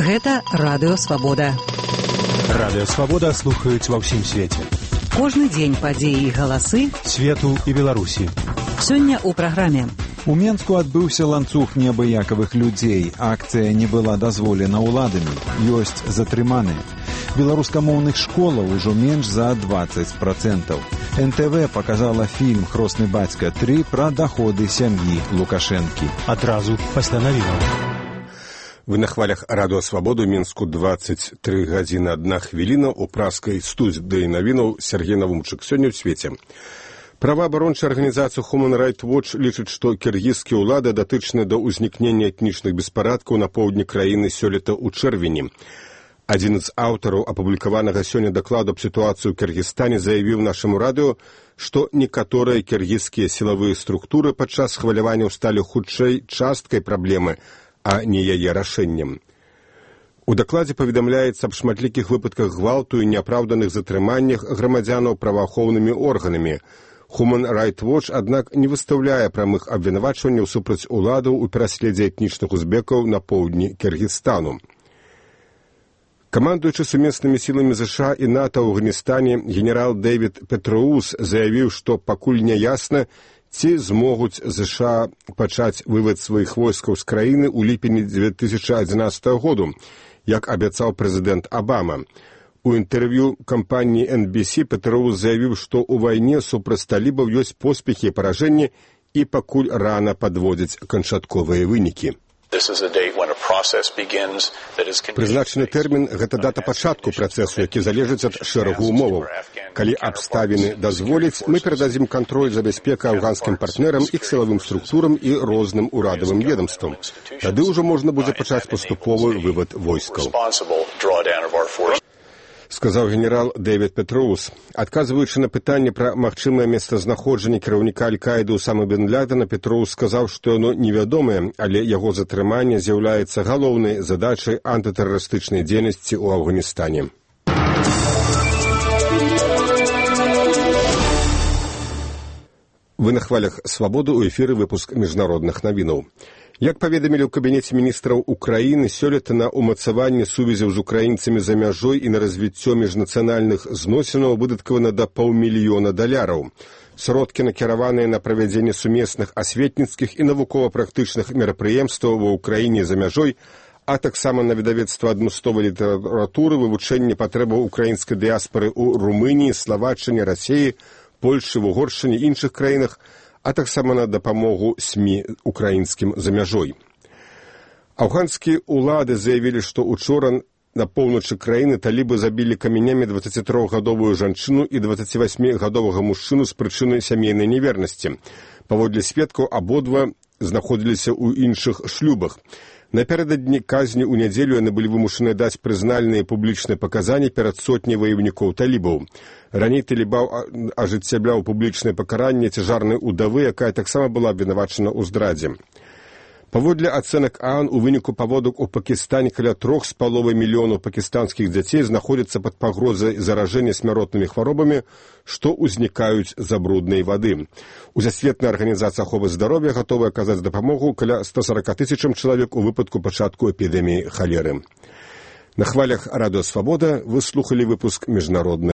Гэта Радыё Свабода. Радыё Свабода слухаюць ва ўсім свеце. Кожны дзень падзеі і галасы свету і Беларусі. Сёння ў праграме. У Менску адбыўся ланцуг неабыякавых людзей. Акцыя не была дазволена ўладамі. Ёсць затрыманыя. Беларускамоўных школаў ужо менш за 20%. НТВ показала фільм «Хросны бацька 3» пра даходы сям'і Лукашэнкі. Адразу пасля навінаў. Вы на хвалях Радыё Свабоду, Мінску 23 гадзіны 1 хвіліна, у праскай студыі навінаў Сергей Навумчык. Сёння ў свеце. Праваабарончая арганізацыя Human Rights Watch лічыць, што кіргізскія ўлады датычныя да ўзнікнення этнічных беспарадкаў на поўдні краіны сёлета ў чэрвені. Адзін з аўтараў апублікаванага сёння дакладу аб сітуацыі ў Кіргізстане заявіў нашаму радыё, што некаторыя кіргізскія сілавыя структуры падчас хваляванняў сталі хутчэй часткай праблемы, а не яе рашэннем. У дакладзе паведамляецца аб шматлікіх выпадках гвалту і неапраўданых затрыманнях грамадзянаў праваахоўнымі органамі. Human Rights Watch, аднак, не выстаўляе прамых абвінавачванняў супраць уладаў у пераследзе этнічных узбекаў на поўдні Кіргізстану. Камандуючы сумеснымі сіламі ЗША і НАТО ў Афганістане генерал Дэвід Петроус заявіў, што пакуль не ясна, ці змогуць ЗША пачаць вывад сваіх войскаў з краіны ў ліпені 2011 году, як абяцаў прэзідэнт Абама. У інтэрв'ю кампаніі NBC Петроус заявіў, што ў вайне супраць талібаў ёсць поспехі і паражэнні і пакуль рана падводзіць канчатковыя вынікі. Прызначаны тэрмін – гэта дата пачатку працэсу, які залежыць ад шэрагу ўмоваў. Калі абставіны дазволяць, мы перададзім кантроль за бяспекай афганскім партнерам, іх сілавым структурам і розным урадавым ведамствам. Тады ўжо можна будзе пачаць паступовы вывад войскаў. Сказаў генерал Дэвід Петроус. Адказваючы на пытанне пра магчымае месцазнаходжанне кіраўніка Аль-Каіды Усамы бен Лядена, Петроус сказаў, што яно невядомае, але яго затрыманне з'яўляецца галоўнай задачай антытэрарыстычнай дзейнасці ў Афганістане. Вы на хвалях Свабоды, у эфіры выпуск міжнародных навінаў. Як паведамілі ў Кабінеце міністраў Украіны, сёлета на ўмацаванне сувязяў з украінцамі за мяжой і на развіццё міжнацыянальных зносінаў выдаткавана да $500 000. Сродкі накіраваныя на правядзенне сумесных асветніцкіх і навукова-практычных мерапрыемстваў ва ўкраіне за мяжой, а таксама на выдавецтва адмысловай літаратуры, вывучэнне патрэбаў украінскай дыяспары ў Румыніі, Славаччыне, Расіі, Польшчы, Угоршчыне і іншых краінах, а таксама на дапамогу СМІ украінскім за мяжой. Афганскія ўлады заявілі, што учора на поўначы краіны талібы забілі камянямі 23-гадовую жанчыну і 28-гадовага мужчыну з прычыны сямейнай невернасці. Паводле сведкаў, абодва знаходзіліся ў іншых шлюбах. Напярэдадні казні ў нядзелю яны былі вымушаны даць прызнальныя публічныя паказанні перад сотняй ваёўнікоў талібаў. Раней талібаў ажыццяўляў публічнае пакаранне цяжарнай удавы, якая таксама была абвінавачана ў здрадзе. Паводле ацэнак ААН, у выніку паводак у Пакістане каля 3,5 мільёнаў пакістанскіх дзяцей знаходзяцца пад пагрозай заражэння смяротнымі хваробамі, што ўзнікаюць з-за бруднай вады. Усесветная арганізацыя аховы здароўя гатовая аказаць дапамогу каля 140 000 чалавек у выпадку пачатку эпідэміі халеры. На хвалях Радыё Свабода вы слухалі выпуск міжнародных